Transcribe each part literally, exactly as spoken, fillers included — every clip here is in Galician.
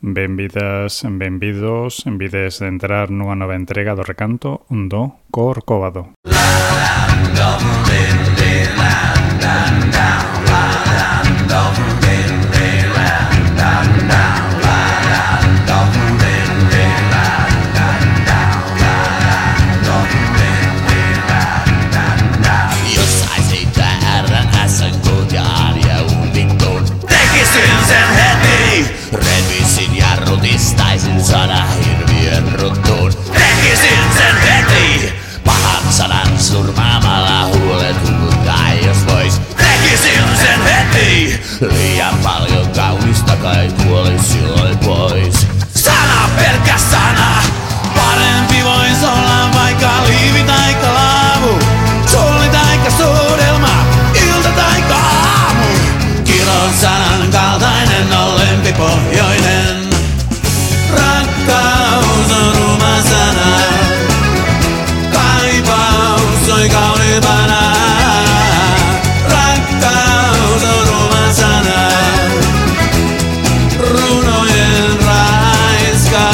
Benvidas, benvidos, envides de entrar nunha nova entrega do recanto do Corcovado. Revisin jarrutistaisin sana hirviön ruttuun. Tekisin sen heti pahan sanan surmaamalla huulet huvuttaa jos vois. Tekisin sen heti liian paljon kaunista kai kuolis silloin pois. Sana pelkkä sana, parempi vois olla vaikka liivi taikka laavu. Suoli taikka suudelma, ilta taikka aamu. Kilon sanan kaltainen on lempipohjoinen. Rakkaus on ruma sana. Kaipaus soi kauniimpana. Rakkaus on ruma sana. Runojen raiskaus.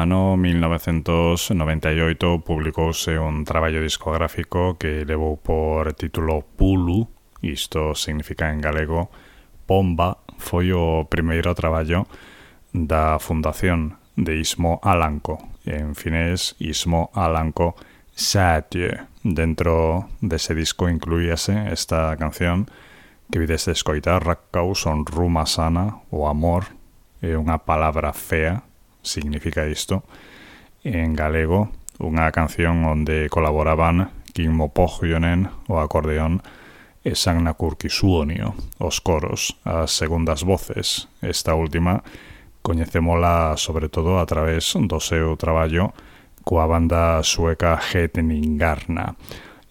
ano mil novecientos noventa e oito publicouse un traballo discográfico que levou por título Pulu, isto significa en galego pomba. Foi o primeiro traballo da fundación de Ismo Alanko, en finés Ismo Alanko Säätiö. Dentro dese disco incluíase esta canción que vides de escoitar, Rakkaus on ruma sana, o amor é unha palabra fea, significa isto, en galego, unha canción onde colaboraban Kimmo Pohjonen, o acordeón, e Sanna Kurkisuonio, os coros, as segundas voces. Esta última coñecémola sobre todo a través do seu traballo coa banda sueca Hetningarna.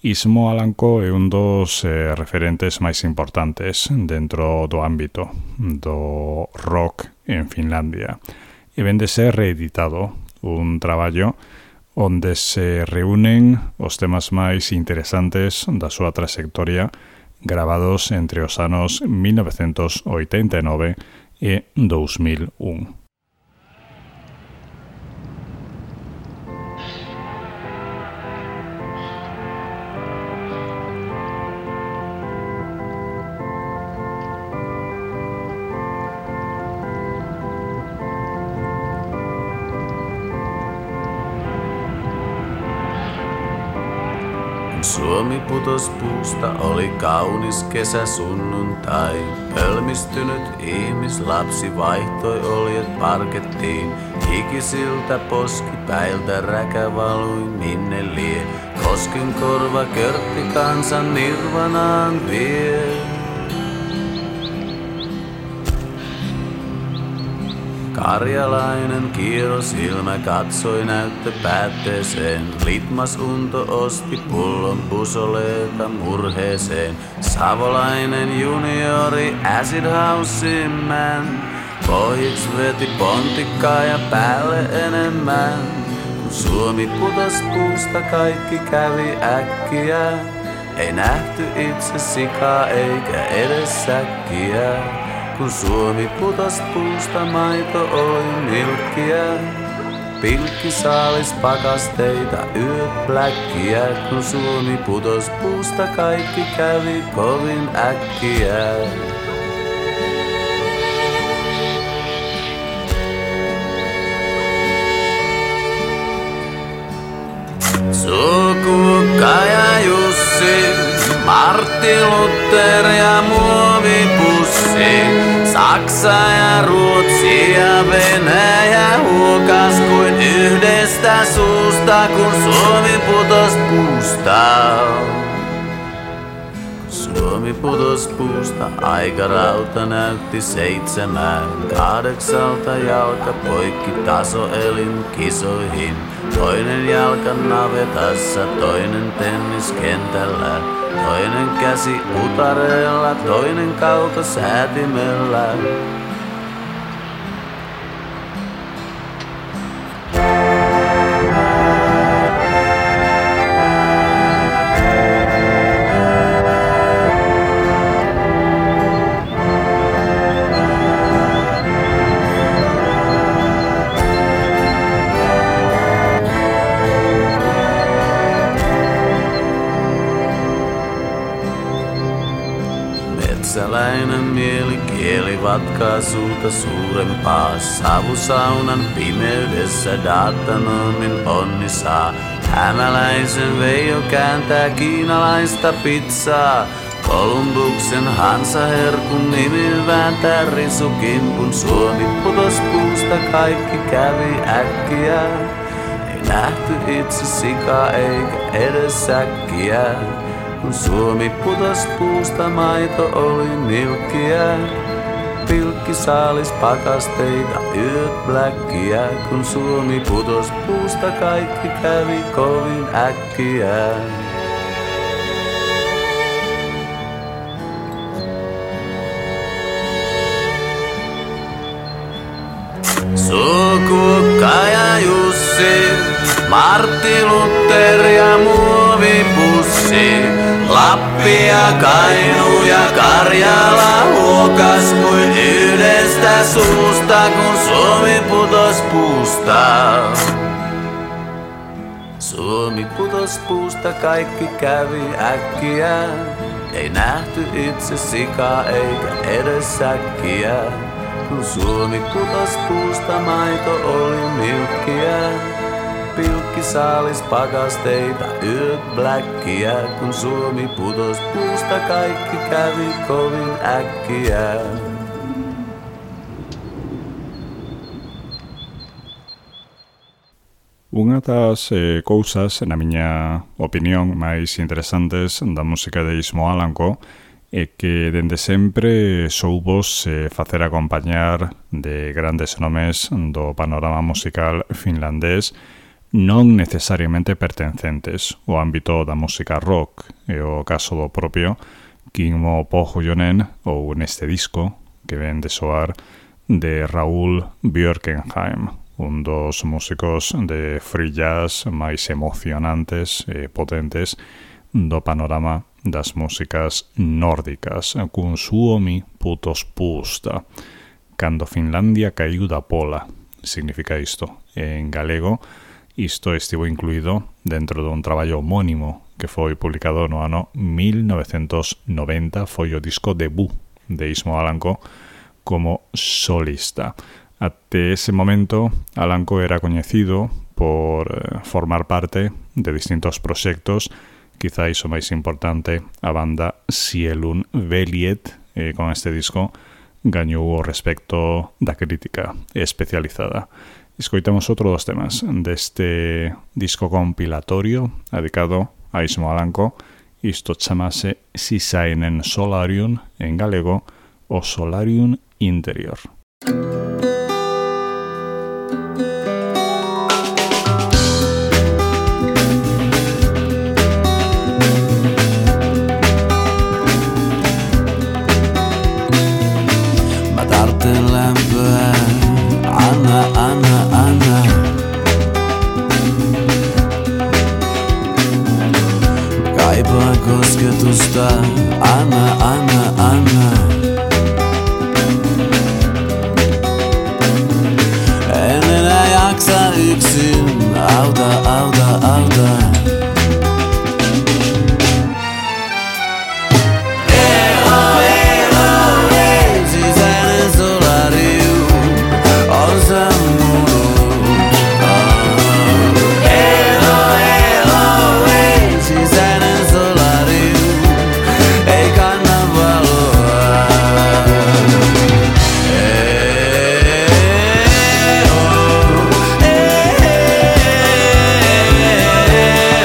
Ismo Alanko é un dos eh, referentes máis importantes dentro do ámbito do rock en Finlandia. E vende ser reeditado un traballo onde se reúnen os temas máis interesantes da súa trayectoria gravados entre os anos mil novecientos oitenta e nove e dos mil un. Suomi putos puusta, oli kaunis kesäsunnuntai. Pölmistynyt ihmislapsi vaihtoi oljet parkettiin. Hikisiltä poskipäiltä räkä valui minne lie. Kosken korva körtti kansan nirvanaan vie. Karjalainen kierrosilmä katsoi näyttöpäätteeseen. Litmas unto osti pullon pusoleeta murheeseen. Savolainen juniori acid house man. Pohjiks veti pontikkaa ja päälle enemmän. Kun Suomi putos puusta kaikki kävi äkkiä. Ei nähty itse sikaa eikä edes säkkiä. Kun Suomi putos puusta, maito oli milkkiä. Pilkki saalis pakasteita, yöt pläkkiä. Kun Suomi putos puusta, kaikki kävi kovin äkkiä. Sukukka ja Jussi, Martti Luther ja muovipussi. Saksa ja Ruotsi ja Venäjä huokas kuin yhdestä suusta, kun Suomi putos puusta. Suomi putos puusta, aikarauta näytti seitsemään. Kahdeksalta jalka poikki tasoelin kisoihin. Toinen jalka navetassa, toinen tenniskentällä. Toinen käsi utareella, toinen kaukosäätimellä. Metsäläinen mieli kieli vatkaa suuta suurempaa. Savusaunan pimeydessä datanomin onni saa. Hämäläisen Veijo kääntää kiinalaista pizzaa. Kolumbuksen Hansaherkun nimi vääntää risukimpun. Suomi putos puusta, kaikki kävi äkkiä. Ei nähty itse sikaa eikä edes säkkiä. Kun Suomi putos puusta, maito oli milkkiä. Pilkki saalis pakasteita, yöt bläkkiä. Kun Suomi putos puusta, kaikki kävi kovin äkkiä. Sukukka ja Jussi, Martti Luther ja muovipussi. Lappi ja Kainu ja Karjala huokas kuin yhdestä suusta, kun Suomi putos puusta. Suomi putos puusta, kaikki kävi äkkiä. Ei nähty itse sikaa eikä edes säkkiä. Kun Suomi putos puusta, maito oli milkkiä. Pilkki saalis pakasteita, yöt bläkkiä. Kun Suomi putos puusta, kaikki kävi kovin äkkiä. Unha das eh, cousas, na miña opinión, máis interesantes da música de Ismo Alanko é que dende sempre soubos eh, facer acompañar de grandes nomes do panorama musical finlandés non necesariamente pertencentes ao ámbito da música rock, e o caso do propio Kimmo Pohjonen ou neste disco que ven de soar de Raúl Björkenheim, un dos músicos de free jazz máis emocionantes e potentes do panorama das músicas nórdicas, cun Suomi putos puusta. Cando Finlandia caiu da pola, significa isto. En galego, isto estivo incluído dentro dun traballo homónimo que foi publicado no ano mil novecentos noventa, foi o disco debut de Ismo Alanko como solista. Até ese momento, Alanko era coñecido por eh, formar parte de distintos proxectos, quizáis o máis importante, a banda Sielun Veljet, e con este disco gañou o respecto da crítica especializada. Escoitamos outro dos temas deste disco compilatorio dedicado a Ismo Alanko. Isto chamase Sisäinen Solarium, en galego, o Solarium Interior. Kosketusta, anna, anna, anna. En enää jaksa yksin, auta, auta, auta. Elo, elo, ei, sisäinen solarium on sammunut. Elo, elo, ei, sisäinen Yeah.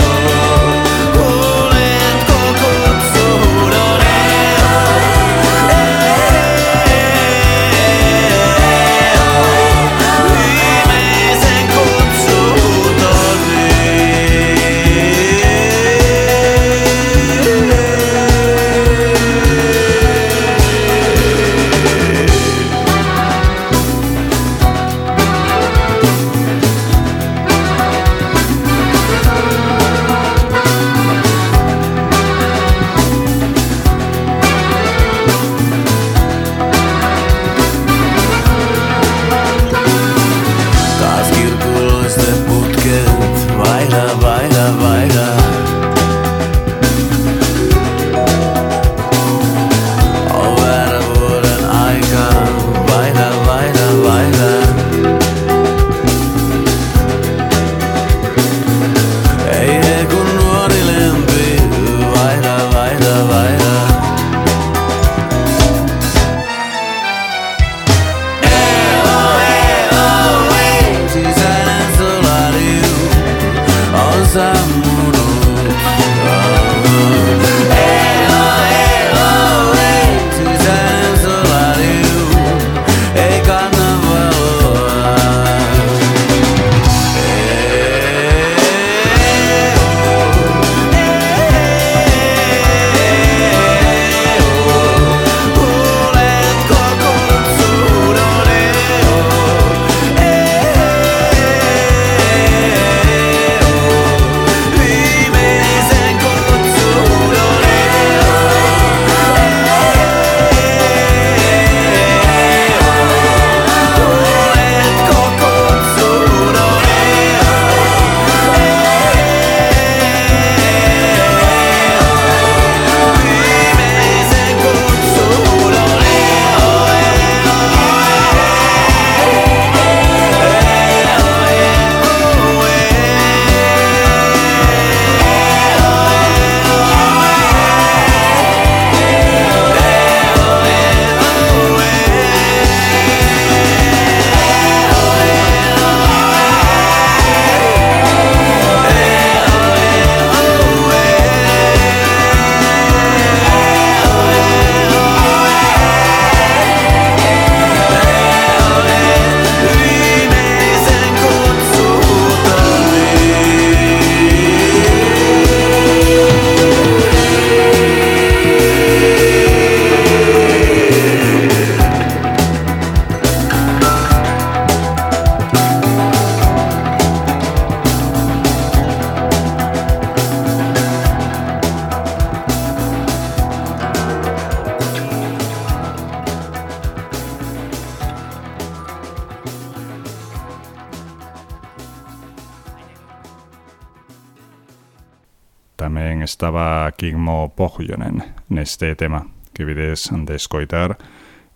estaba Kimmo Pohjonen neste tema que vides de escoitar,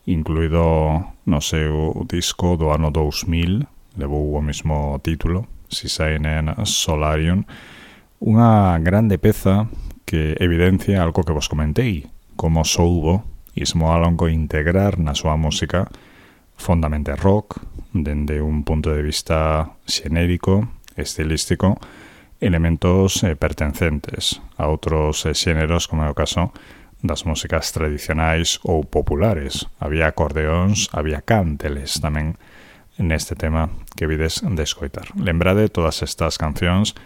incluído no seu disco do ano dous mil, levou o mesmo título, Sisain en Solarium, unha grande peza que evidencia algo que vos comentei, como soubo Ismo Alonco integrar na súa música fondamente rock, dende un punto de vista xenérico, estilístico, elementos eh, pertencentes a outros eh, xéneros, como é o caso das músicas tradicionais ou populares. Había acordeóns, había cánteles tamén neste tema que vides de escoitar. Lembrade, todas estas cancións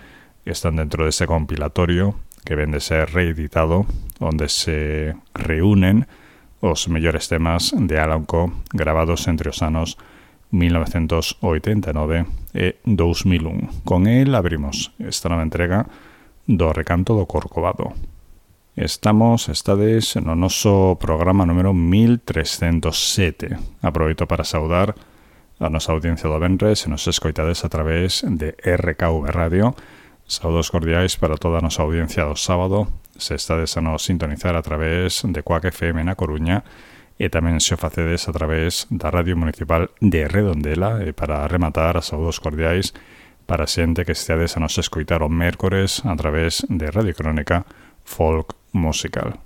están dentro deste compilatorio que ven de ser reeditado, onde se reúnen os mellores temas de Alan Coe gravados entre os anos mil novecentos oitenta e nove e dous mil un. Con el abrimos esta nova entrega do Recanto do Corcovado. Estamos, estades no noso programa número mil trescentos sete. Aproveito para saudar a nosa audiencia do venres e nos escoitades a través de R K V Radio. Saudos cordiais para toda a nosa audiencia do sábado, se estades a nos sintonizar a través de Quack F M na Coruña e tamén se o facedes a través da Radio Municipal de Redondela. E para rematar, a saudos cordiais para xente que esteades a nos escoitar o mércores a través de Radio Crónica Folk Musical.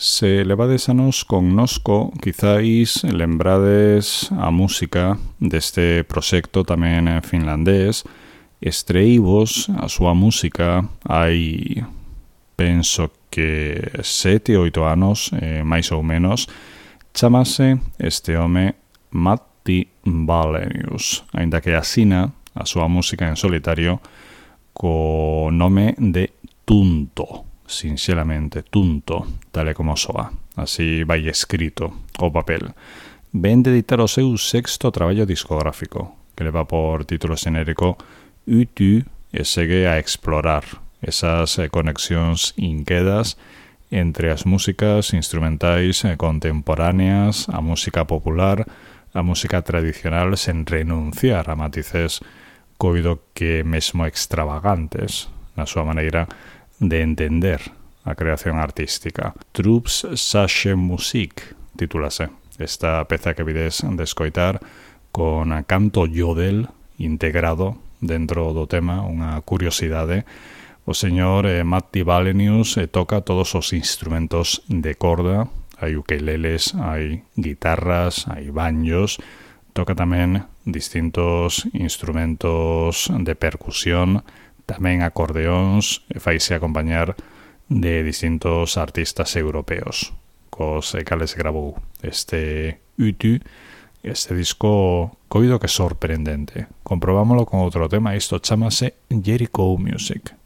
Se levades anos connosco, quizáis lembrades a música deste proxecto tamén finlandés. Estreívos a súa música hai, penso que sete, oito anos, eh, máis ou menos. Chámase este home Matti Wallenius, aínda que asina a súa música en solitario co nome de Tunto, sinxelamente Tunto, tal e como soa. Así vai escrito o papel. Ven de editar o seu sexto traballo discográfico, que leva por título xenérico Yty, e segue a explorar esas conexións inquedas entre as músicas instrumentais contemporáneas, a música popular, a música tradicional, sen renunciar a matices coido que mesmo extravagantes na súa maneira de entender a creación artística. Troops Sasche Musik titúlase esta peza que vides de escoitar, con canto yodel integrado dentro do tema, unha curiosidade. O señor eh, Matti Wallenius eh, toca todos os instrumentos de corda, hai ukeleles, hai guitarras, hai banjos, toca tamén distintos instrumentos de percusión, tamén acordeóns, e faise acompañar de distintos artistas europeos, cos cales grabou este Yty, este disco coido que sorprendente. Comprobámoslo con outro tema, isto chámase Jericho Music.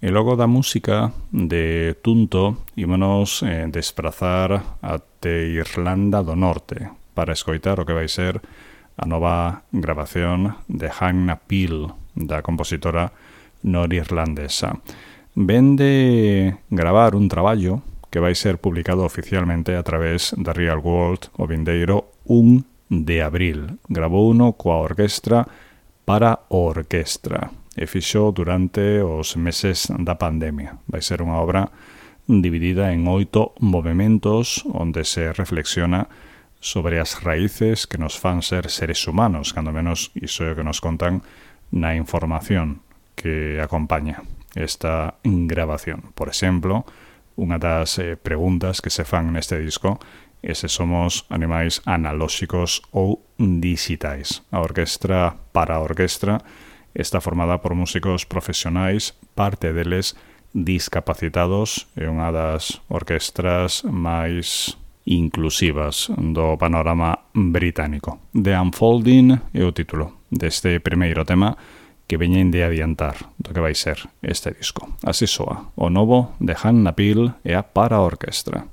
E logo da música de Tunto ímonos eh, desplazar até Irlanda do Norte para escoitar o que vai ser a nova grabación de Hannah Peel, da compositora norirlandesa. Ven de gravar un traballo que vai ser publicado oficialmente a través da Real World o vindeiro un de abril. Grabou uno coa orquestra para orquestra e fixo durante os meses da pandemia. Vai ser unha obra dividida en oito movementos onde se reflexiona sobre as raíces que nos fan ser seres humanos, cando menos iso é o que nos contan na información que acompaña esta grabación. Por exemplo, unha das eh, preguntas que se fan neste disco é se somos animais analóxicos ou digitais. A orquestra para a orquestra está formada por músicos profesionais, parte deles discapacitados, é unha das orquestras máis inclusivas do panorama británico. The Unfolding é o título deste primeiro tema que veñen de adiantar do que vai ser este disco. Así soa o novo de Hannah Peel e a para a orquestra.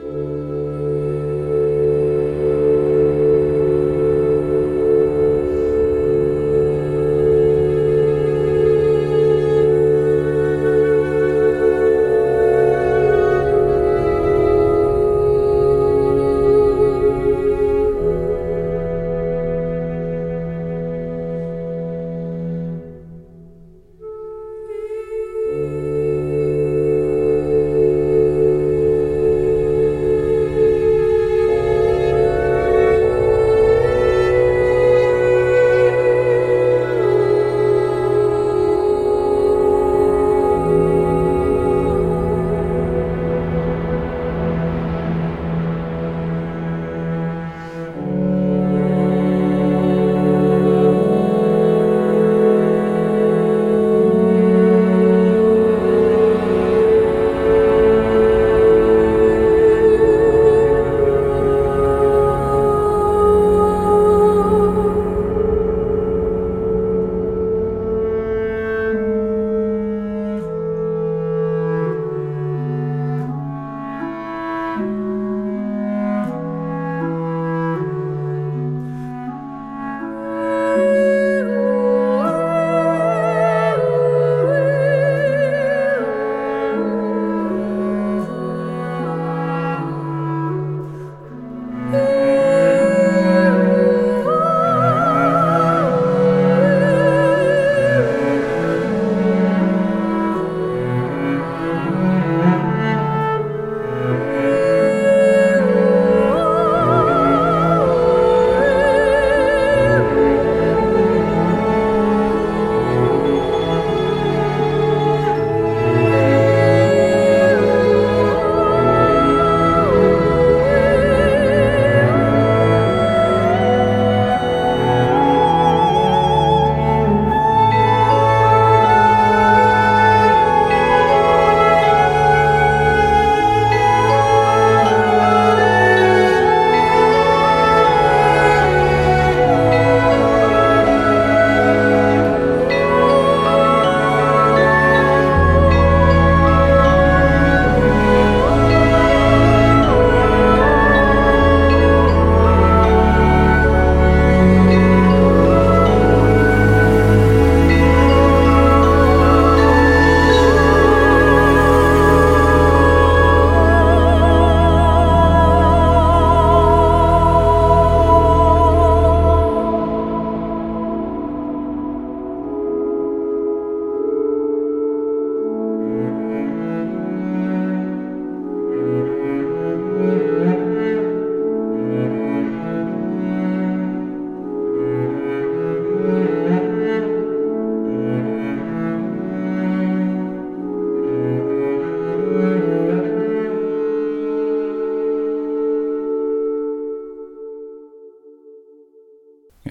Thank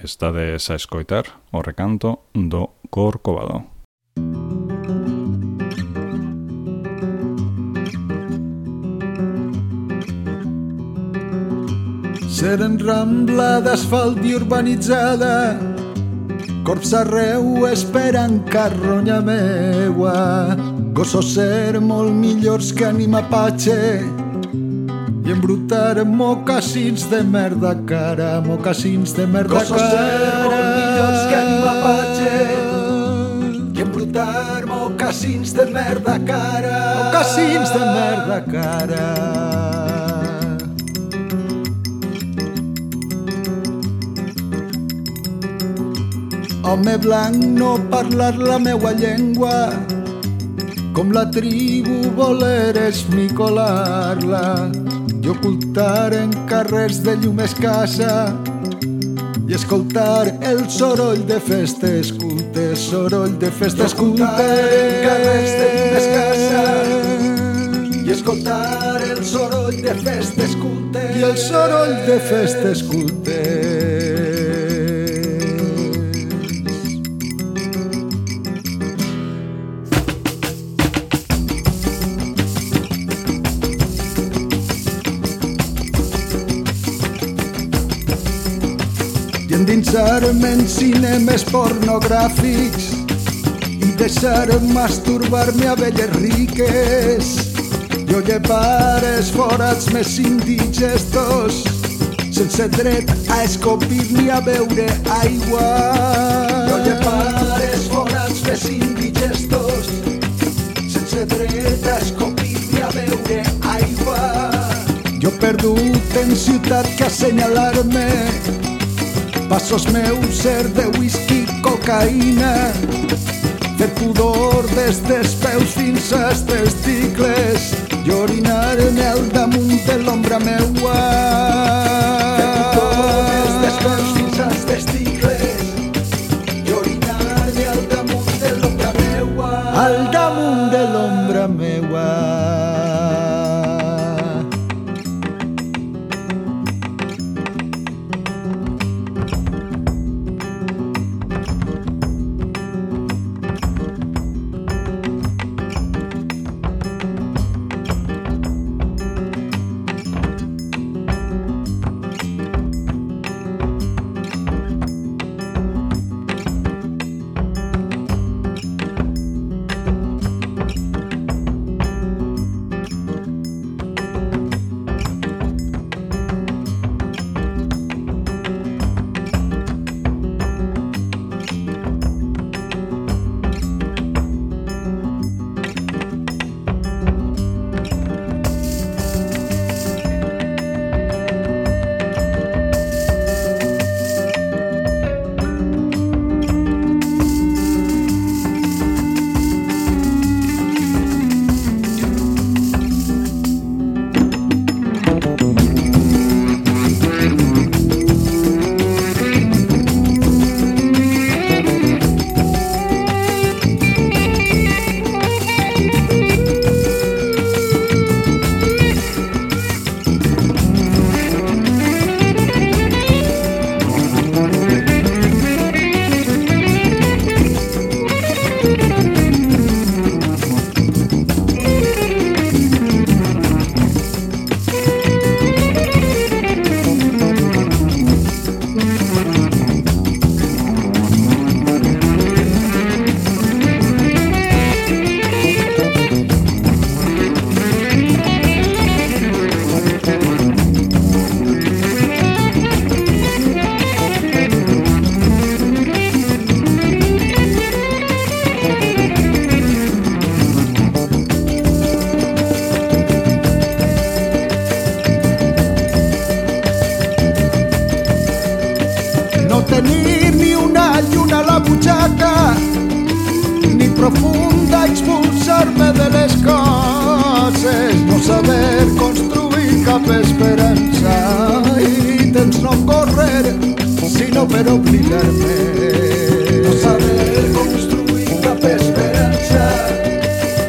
estades a escoitar o recanto do Corcovado. Seren rambla d'asfalt i urbanitzada, corps arreu esperant carronya meua, gossos ser molt millors que ànima patxe i embrutar mocassins de merda cara, mocassins de merda cara. Gossos ser molt millors que ànima patxe i embrutar mocassins de merda cara, mocassins de merda cara. Home blanc, no parlar la meua llengua, com la tribu voler esmicolar-la i ocultar en carrers de llum escassa i escoltar el soroll de festes cultes, soroll de festes cultes en carrers de llum escassa i escoltar el soroll de festes cultes i el soroll de festes cultes. Endinsar-me en cinemes pornogràfics i deixar masturbar-me a velles riques i llevar els forats més indigestos sense dret a escopir ni a beure aigua. Jo llevar els forats més indigestos sense dret a escopir ni a beure aigua. Jo perdut en ciutat que assenyalar-me passos meus ser de whisky, cocaïna, fer pudor des dels peus fins als testicles i orinar-me al damunt de l'ombra meua. Fer pudor des dels peus fins als testicles i orinar-me al damunt de l'ombra meua. Al damunt de l'ombra meua. tenir ni una lluna a la butxaca, ni profunda expulsar-me de les coses, no saber construir cap esperança i temps no correr, sinó per obligar-me. No saber construir cap esperança,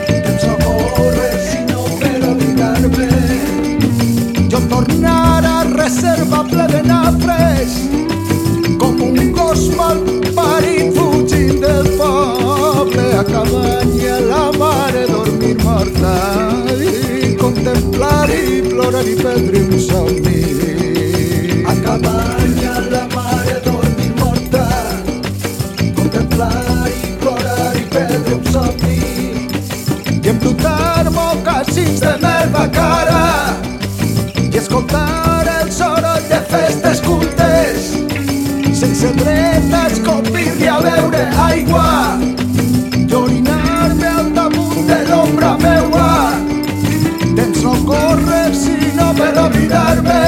temps no correr, sinó per obligar-me. Jo tornar a reserva ple de nafres, com un un gos malparit fugint del poble a cabanya la mare dormir morta i contemplar i plorar i perdre un somni. A cabanya la mare dormir morta, contemplar i plorar i perdre un somni i embrutar mocassins de merda cara i escoltar el soroll de festes cultes sense dret a escopir-li a beure aigua i orinar-me al damunt de l'ombra meua. Temps no corre sinó per oblidar-me,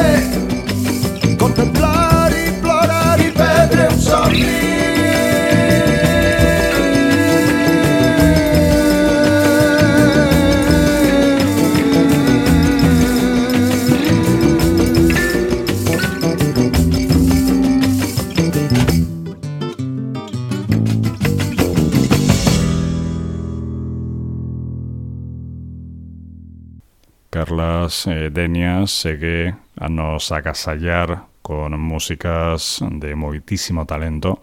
contemplar i plorar i perdre un somni. Carlas eh, Denia segue a nos agasallar con músicas de moitísimo talento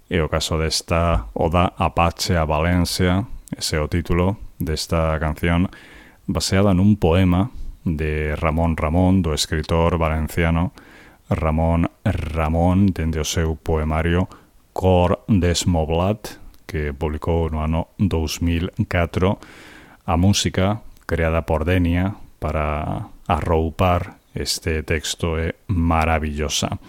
e o caso desta Oda Apache a Valencia, ese é o título desta canción baseada nun poema de Ramón Ramón, do escritor valenciano Ramón Ramón, dende o seu poemario Cor Desmoblat, que publicou no ano dous mil catro. A música creada por Denia para arroupar este texto é maravillosa.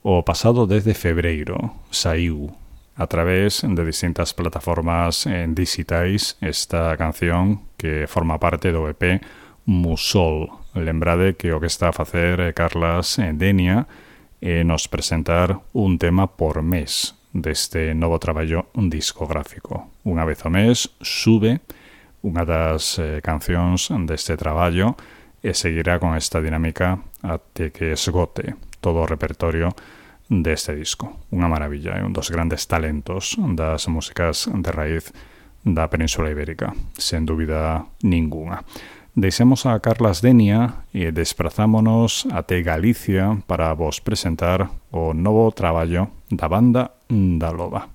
O pasado dez de febreiro saiu a través de distintas plataformas en digitais esta canción que forma parte do E P Musol. Lembrade que o que está a facer Carlas Denia é nos presentar un tema por mes deste novo traballo discográfico. Unha vez ao mes sube unha das eh, cancións deste traballo e seguirá con esta dinámica até que esgote todo o repertorio deste disco. Unha maravilla, é un dos grandes talentos das músicas de raíz da Península Ibérica, sen dúbida ninguna. Deixemos a Carlas Denia e desprazámonos até Galicia para vos presentar o novo traballo da banda da Loba.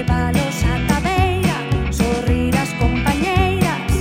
Levalos a Tabeira, sorrir as compañeiras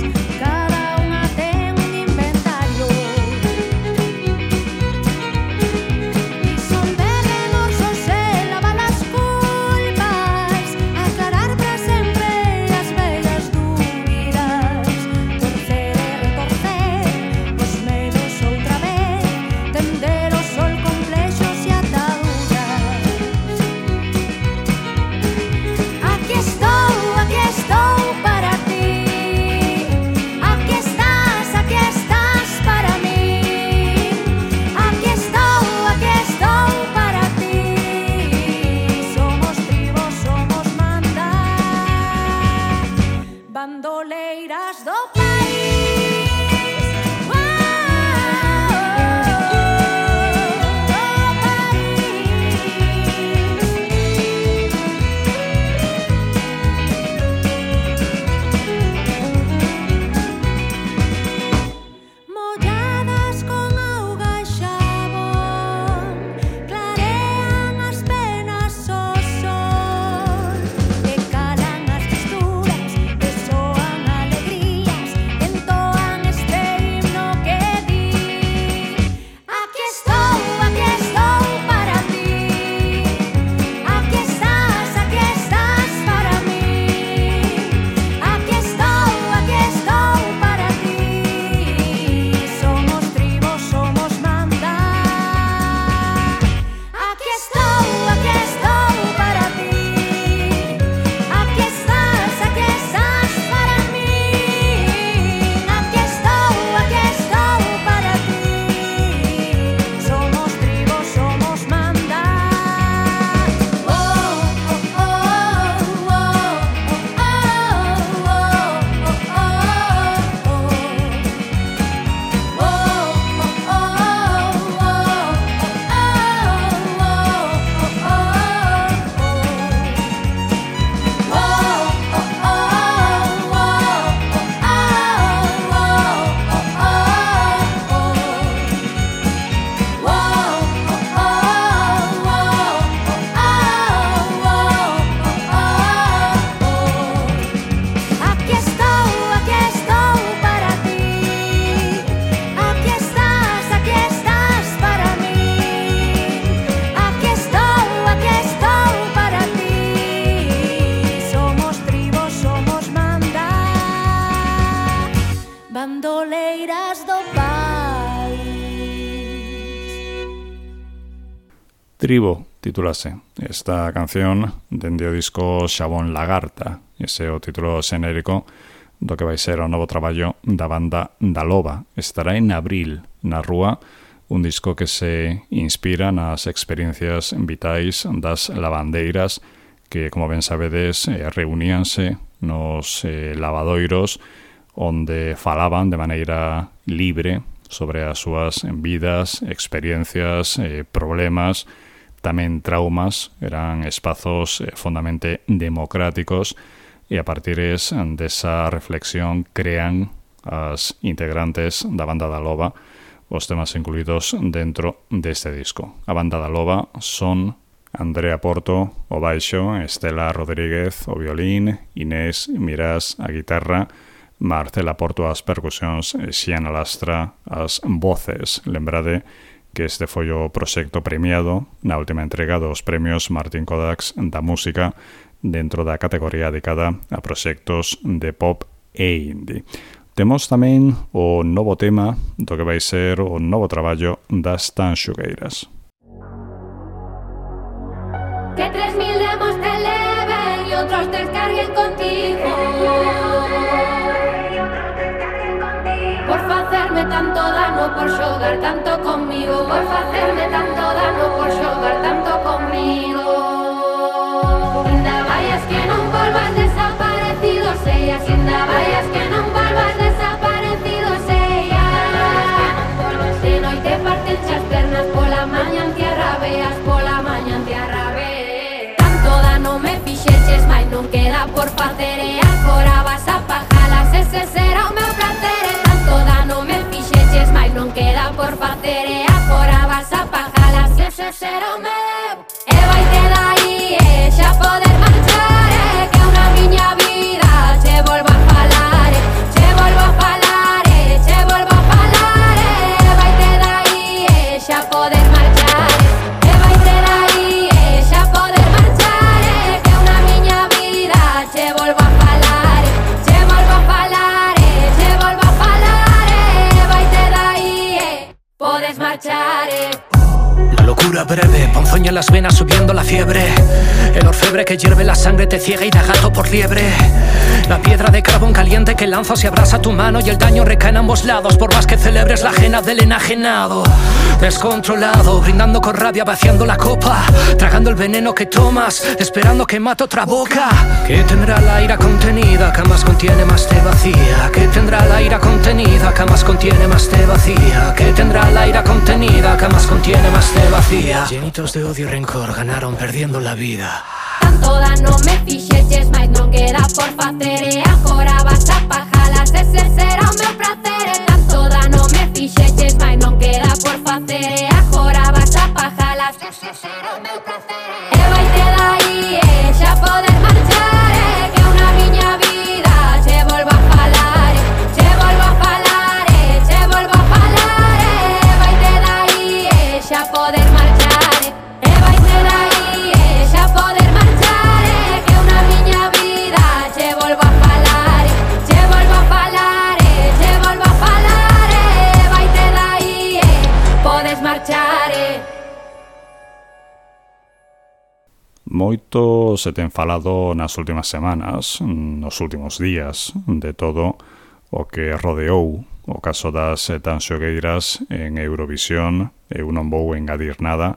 Tribo titulase esta canción dende o disco Xabón Lagarta, ese é o título xenérico do que vai ser o novo traballo da banda da Loba. Estará en abril na rúa, un disco que se inspira nas experiencias vitais das lavandeiras que, como ben sabedes, reuníanse nos eh, lavadoiros onde falaban de maneira libre sobre as súas vidas, experiencias, eh, problemas, tamén traumas. Eran espazos eh, fondamente democráticos e a partir desa reflexión crean as integrantes da banda da Loba os temas incluídos dentro deste disco. A banda da Loba son Andrea Porto o baixo, Estela Rodríguez o violín, Inés Mirás a guitarra, Marcela Porto as percusións e Xiana Lastra as voces. Lembrade que este foi o proxecto premiado na última entrega dos premios Martín Kodaks da música dentro da categoría dedicada a proxectos de pop e indie. Temos tamén o novo tema do que vai ser o novo traballo das Tanxugueiras. Que tres mil demos te eleven y otros descarguen contigo por facerme tanto dano, por xogar tanto conmigo, por facerme tanto dano, por xogar tanto conmigo. Ainda vayas que non volvas desaparecido, sellas, ainda vayas que non volvas desaparecido, sellas. De noite parten as pernas, pola maña en tierra veas, pola maña en tierra veas. Tanto dano me fixeches, mais non queda por facer, e agora vas a pajalas, ese será o meu placer. Tanto dano me fixeches, mais non queda por facer, e agora vas a pajalas, ese será o meu. E vai te dai, e xa poder marchar, e que unha miña vida che volvo a falar, che volvo a falar, che volvo a falar, e vai te dai, e xa poder marchar, e vai te dai, e xa poder marchar, e que unha miña vida che volvo a falar, che volvo a falar, che volvo a falar, e vai te dai, e podes marchar, e la locura breve, ponzoña en las venas subiendo la fiebre. El orfebre que hierve la sangre te ciega y da gato por liebre. La piedra de carbón caliente que lanzo se abrasa tu mano y el daño recae en ambos lados, por más que celebres la ajena del enajenado. Descontrolado, brindando con rabia, vaciando la copa, tragando el veneno que tomas, esperando que mate otra boca. Que tendrá la ira contenida, que más contiene más te vacía. Que tendrá la ira contenida, que más contiene más te vacía. Que tendrá la ira contenida, que más contiene más te vacía. Llenitos de odio y rencor ganaron perdiendo la vida. Tanto dano me fixeches, mais non queda por facer, e agora vas a pajalas, ese será o meu placer. Tanto dano me fixeches, mais non queda por facer, e agora vas a pajalas, ese será o meu placer. E vai te dai, e xa poder marchar, e que unha miña vida che volvo a falar, che volvo a falar, che volvo a falar, e vai te dai, e xa poder marchar, e vai te dai, e xa poder marchar, e que unha miña vida che volvo a falar, che volvo a falar, che volvo a falar, e vai te dai, e podes marchar, e Moito se ten falado nas últimas semanas, nos últimos días, de todo o que rodeou o caso das Tanxugueiras en Eurovisión. Eu non vou engadir nada,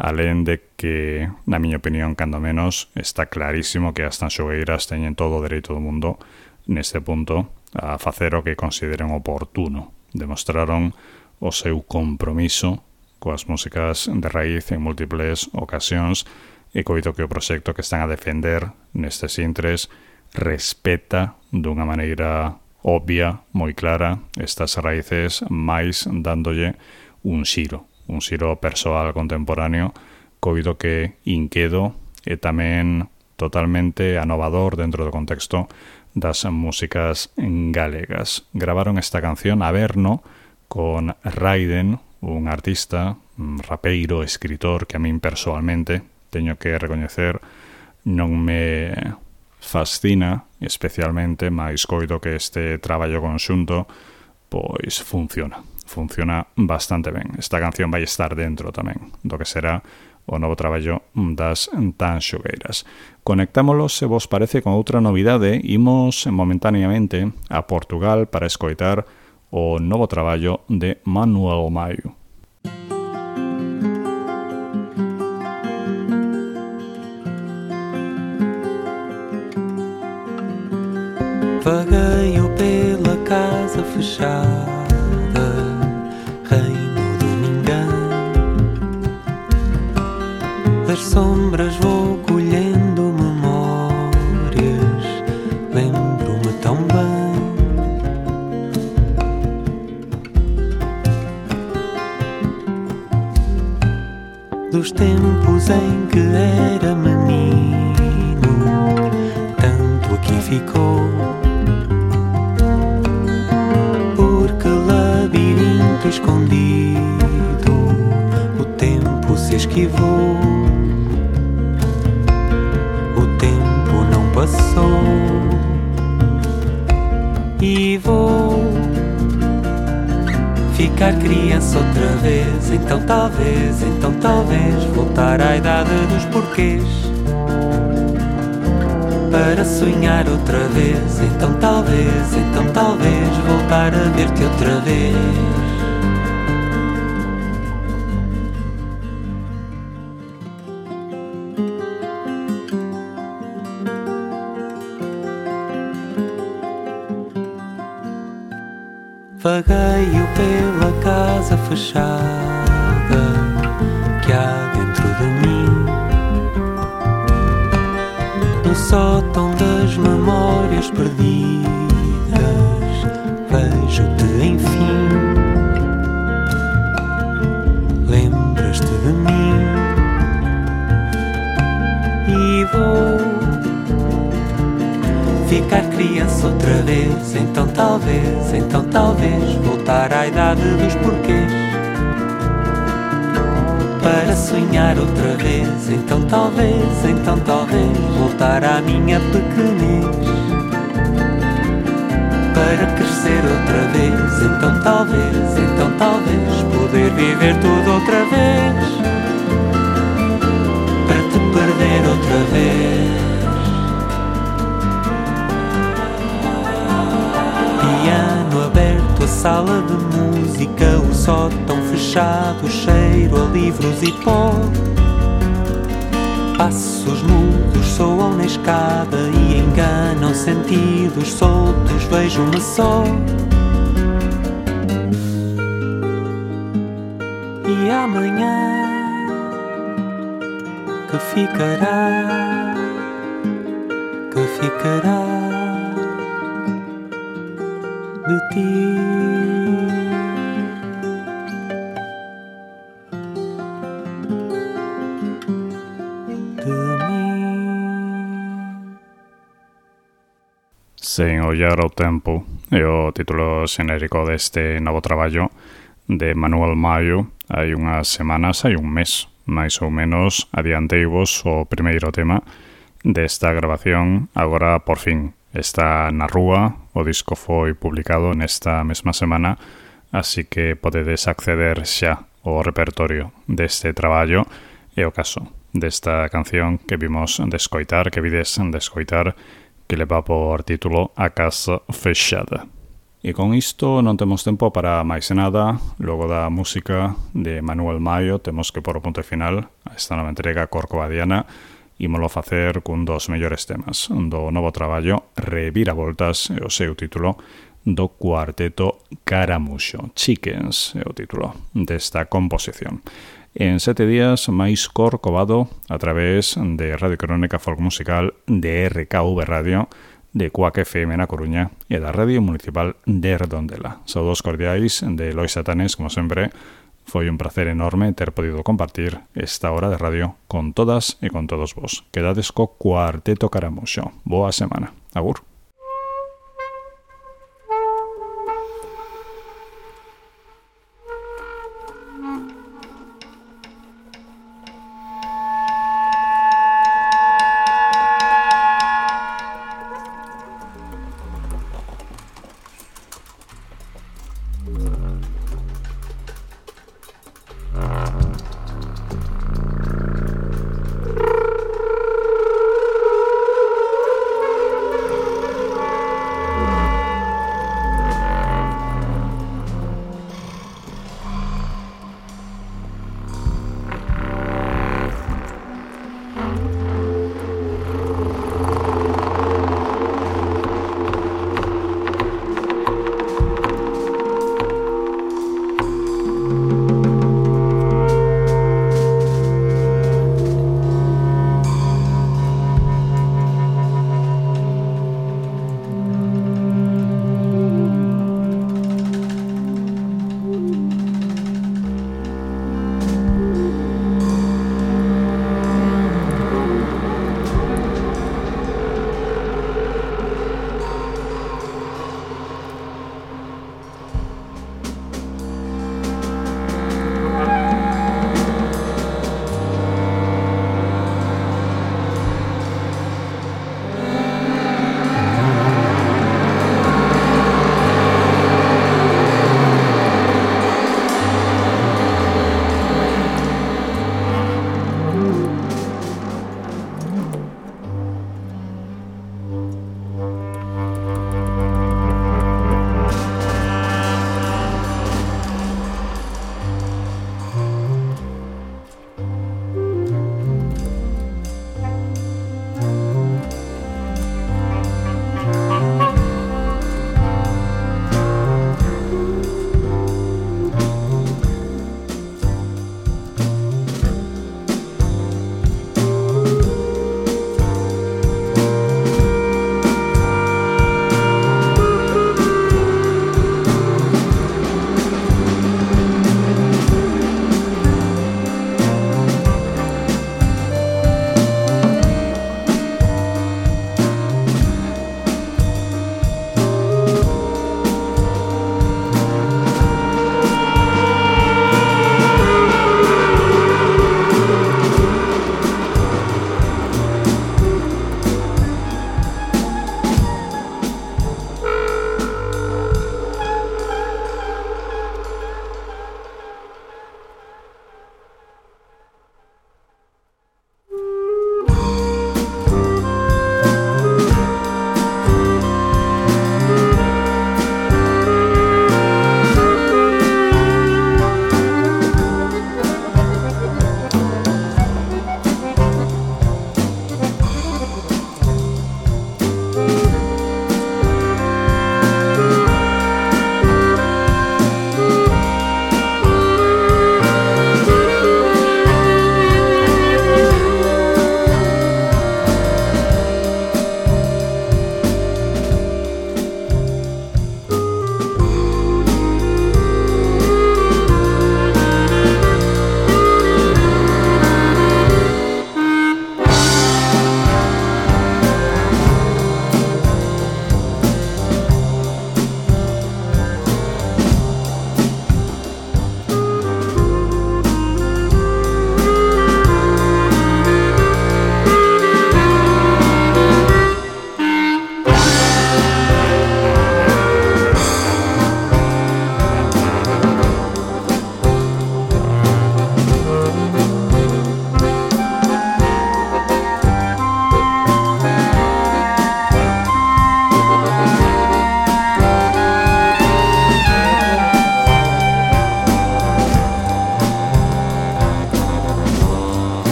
alén de que, na miña opinión, cando menos, está clarísimo que as Tanxugueiras teñen todo o dereito do mundo neste punto a facer o que consideren oportuno. Demostraron o seu compromiso coas músicas de raíz en múltiples ocasións e coito que o proxecto que están a defender nestes intres respeta dunha maneira obvia, moi clara, estas raíces, máis dándolle un xiro, un xiro persoal contemporáneo, coito que inquedo e tamén totalmente anovador dentro do contexto das músicas galegas. Gravaron esta canción Averno con Raiden, un artista, un rapeiro, escritor que a min persoalmente teño que recoñecer non me fascina especialmente, mais coido que este traballo conxunto pois funciona, funciona bastante ben. Esta canción vai estar dentro tamén do que será o novo traballo das Tanxugueiras. Conectámolos, se vos parece, con outra novidade. Imos momentaneamente a Portugal para escoitar o novo traballo de Manuel Maio. Vagueio pela casa fechada, reino domingão. Das sombras vou colhendo memórias, lembro-me tão bem dos tempos em que era menino. Tanto aqui ficou, escondido, o tempo se esquivou, o tempo não passou, e vou ficar criança outra vez. Então talvez, então talvez voltar à idade dos porquês, para sonhar outra vez. Então talvez, então talvez voltar a ver-te outra vez. Vagueio pela casa fechada que há dentro de mim, no sótão das memórias perdidas. Vejo-te enfim, lembras-te de mim, e vou ficar criança outra vez. Então talvez, então talvez voltar à idade dos porquês, para sonhar outra vez. Então talvez, então talvez voltar à minha pequenez, para crescer outra vez. Então talvez, então talvez poder viver tudo outra vez, para te perder outra vez. Piano aberto, a sala de música, o sótão fechado, cheiro a livros e pó. Passos mudos soam na escada e enganam sentidos soltos, vejo-me só. E amanhã que ficará, que ficará de ti. Sen ollar ao tempo é o título xenérico deste novo traballo de Manuel Maio. Hai unhas semanas, hai un mes, máis ou menos, adianteivos o primeiro tema desta grabación. Agora, por fin, está na rúa. O disco foi publicado nesta mesma semana, así que podedes acceder xa ao repertorio deste traballo. É o caso desta canción que vimos de escoitar, que vides de escoitar, que leva por título A Casa Fechada. E con isto non temos tempo para máis nada. Logo da música de Manuel Maio temos que pôr o punto final a esta nova entrega corcovadiana. Ímolo facer cun dos mellores temas do novo traballo, Reviravoltas, é o seu título, do cuarteto Caramuxo. Chickens é o título desta composición. En sete días máis Corcovado a través de Radio Crónica Folk Musical, de R K V Radio, de Cuac F M na Coruña e da Radio Municipal de Redondela. Saúdos cordiais de Lois Satanes, como sempre. Foi un placer enorme ter podido compartir esta hora de radio con todas e con todos vos. Quedades co Cuarteto Caramuxo. Boa semana. Agur.